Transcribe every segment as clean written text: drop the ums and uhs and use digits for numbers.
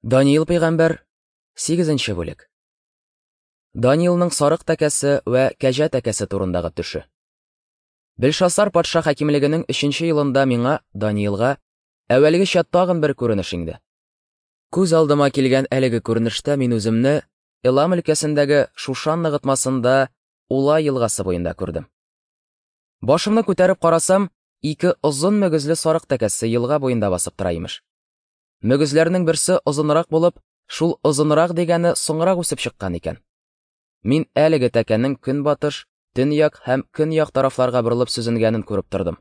Даниил пәйгамбәр, 8 бүлек. Даниилның сарык тәкәсе вә кәҗә тәкәсе турындагы төше. Белшасар патша хакимлегенең 3 елында миңа, Даниилга, әүвәлгечә тагын бер күренеш иңде. Күз алдыма килгән әлеге күренештә мин үземне Элам өлкәсендәге Шушан ныгытмасында Ула елгасы буенда күрдем. Башымны күтәреп карасам, ике озын мөгезле сарык тәкәсе елга буенда басып тора имеш. Мөгезләрнең берсе озынрак булып, шул озынрак дигәне соңрак үсеп чыккан икән. Мин әлеге тәкәнең көнбатыш, төньяк һәм көньяк тарафларга борылып сөзенгәнен күреп тордым.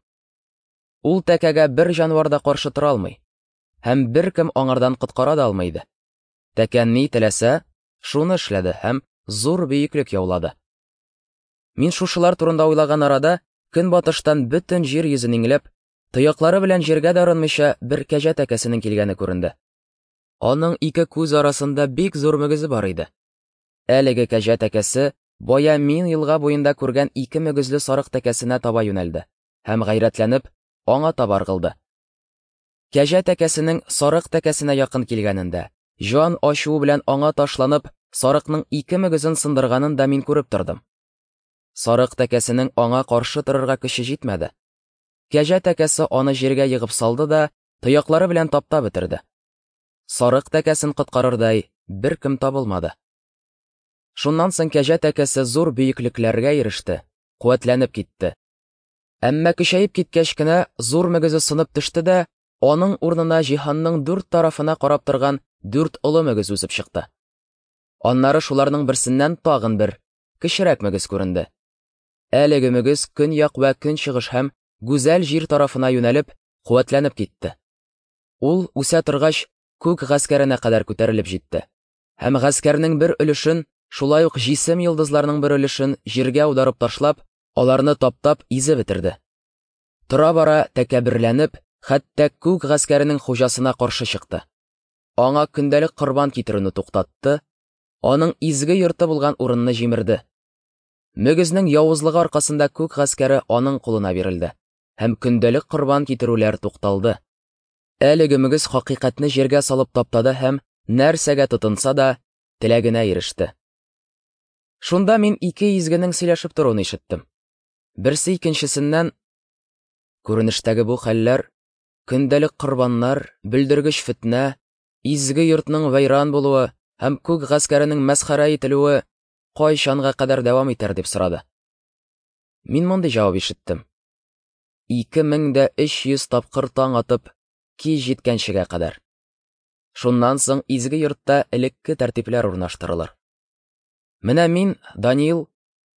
Ул тәкәгә бер җанвар да каршы тора алмый, һәм беркем аңардан коткара да алмый иде. Тәкә ни теләсә, шуны эшләде һәм зур бөеклек яулады. Мин шушылар турында уйлаган арада, көнбатыштан бөтен җир йөзен иңләп, тояклары белән җиргә дә орынмыйча бер кәҗә тәкәсенең килгәне күренде. Аның ике күз арасында бик зур мөгезе бар иде. Әлеге кәҗә тәкәсе бая мин елга буенда күргән ике мөгезле сарык тәкәсенә таба юнәлде һәм гайрәтләнеп аңа таба ыргылды. Кәҗә тәкәсенең сарык тәкәсенә якын килгәнен дә, җан ачуы белән аңа ташланып, сарыкның ике мөгезен сындырганын да мин күреп тордым. Сарык тәкәсенең аңа каршы торырга көче җитмәде. Кәҗә тәкәсе аны җиргә егып салды да, тояклары белән таптап бетерде. Сарык тәкәсен коткарырдай беркем табылмады. Шуннан соң кәҗә тәкәсе зур бөеклекләргә иреште, куәтләнеп китте. Әмма көчәеп киткәч кенә зур мөгезе сынып төште дә, аның урынына җиһанның дүрт тарафына карап торган дүрт олы мөгез үсеп чыкты. Аннары шуларның берсеннән тагын бер, кечерәк мөгез күренде. Әлеге мөгез көньяк вә көнчыгыш һәм гүзәл җир тарафына юнәлеп, куәтләнеп китте. Ул, үсә торгач, күк гаскәренә кадәр күтәрелеп җитте. Һәм гаскәрнең бер өлешен, шулай ук җисем йолдызларның бер өлешен җиргә аударып ташлап, аларны таптап изеп бетерде. Тора-бара тәкәбберләнеп, хәтта күк гаскәренең хуҗасына каршы чыкты. Аңа көндәлек корбан китерүне туктатты, аның изге йорты булган урынны җимерде. Мөгезнең явызлыгы аркасында күк гаскәре аның кулына бирелде һәм көндәлек корбан китерүләр тукталды. Әлеге мөгез хакыйкатьне җиргә салып таптады һәм нәрсәгә тотынса да, теләгенә иреште. Шунда мин ике изгенең сөйләшеп торуын ишеттем. Берсе икенчесеннән: "Күренештәге бу хәлләр, көндәлек корбаннар, бөлдергеч фетнә, изге йортның вәйран булуы һәм күк гаскәренең мәсхәрә ителүе кайчанга кадәр дәвам итәр?" дип сорады. Мин мондый җавап ишеттем: 2300 тапкыр таң атып, кич җиткәнчегә кадәр. Шуннан соң изге йортта элекке тәртипләр урнаштырылыр. Менә мин, Даниил,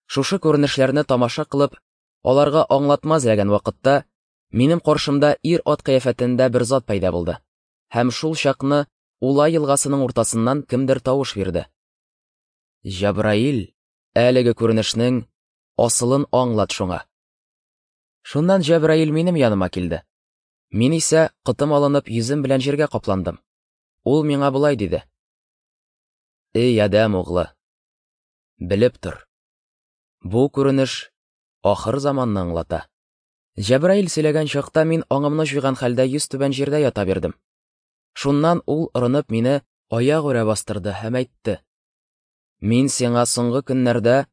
шушы күренешләрне тамаша кылып, аларга аңлатма эзләгән вакытта, минем каршымда ир-ат кыяфәтендә бер зат пәйда булды. Һәм шул чакны Ула елгасының уртасыннан кемдер тавыш бирде. Җәбраил, әлеге күренешнең асылын аңлат шуңа. Шуннан Җәбраил минем яныма килде. Мин исә, котым алынып, йөзем белән җиргә капландым. Ул миңа болай диде: "Эй, адәм углы, белеп тор. Бу күренеш ахыр заманны аңлата." Җәбраил сөйләгән чакта мин аңымны җуйган хәлдә йөз түбән җирдә ята бирдем. Шуннан ул орынып мине аягүрә бастырды һәм әйтте: "Мин сиңа соңгы көннәрдә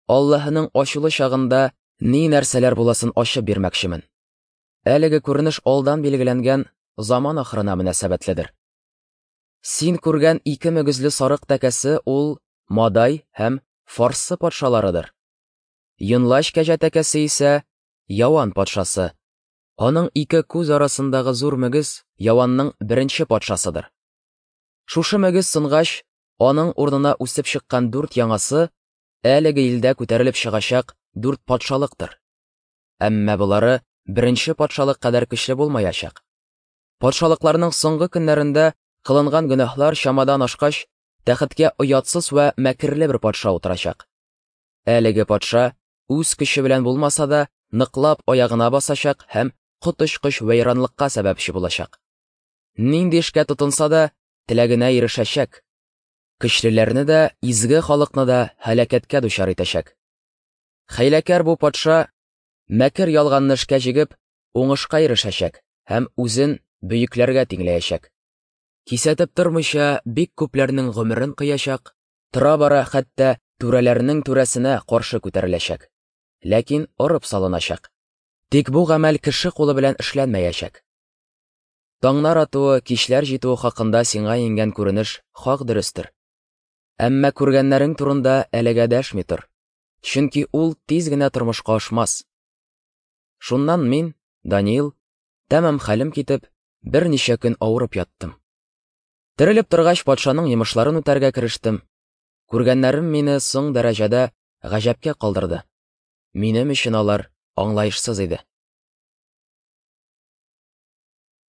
Аллаһының ачулы чагында ни нәрсәләр буласын ачып бирмәкчемен. Әлеге күренеш алдан билгеләнгән заман ахырына мөнәсәбәтледер. Син күргән ике мөгезле сарык тәкәсе ул Мадай һәм Фарсы патшаларыдыр. Йонлач кәҗә тәкәсе исә Яван патшасы. Аның ике күз арасындагы зур мөгез Яванның беренче патшасыдыр. Шушы мөгез сынгач, аның урынына үсеп чыккан дүрт яңасы әлеге илдә күтәрелеп чыгачак дүрт патшалыктыр. Әмма болары беренче патшалык кадәр көчле булмаячак. Патшалыкларның соңгы көннәрендә кылынган гөнаһлар чамадан ашкач, тәхеткә оятсыз вә мәкерле бер патша утырачак. Әлеге патша үз көче белән булмаса да, ныклап аягына басачак һәм коточкыч вәйранлыкка сәбәпче булачак. Нинди эшкә тотынса да, теләгенә ирешәчәк. Көчлеләрне дә, изге халыкны да һәлакәткә дучар итәчәк. Хәйләкәр бу патша мәкер ялганны эшкә җигеп, уңышка ирешәчәк һәм үзен бөекләргә тиңләячәк. Кисәтеп тормыйча, бик күпләрнең гомерен кыячак, тора-бара хәтта түрәләрнең түрәсенә каршы күтәреләчәк. Ләкин орып салыначак. Тик бу гамәл кеше кулы белән эшләнмәячәк. Таңнар атуы, кичләр җитүе хакында сиңа иңгән күренеш хак дөрестер. Әмма күргәннәрең турында әлегә дәшми тор, чөнки ул тиз генә тормышка ашмас. Шуннан мин, Даниил, тәмам хәлем китеп, берничә көн авырып яттым. Терелеп торгач, патшаның йомышларын үтәргә керештем. Күргәннәрем мине соң дәрәҗәдә гаҗәпкә калдырды. Минем өчен алар аңлаешсыз иде.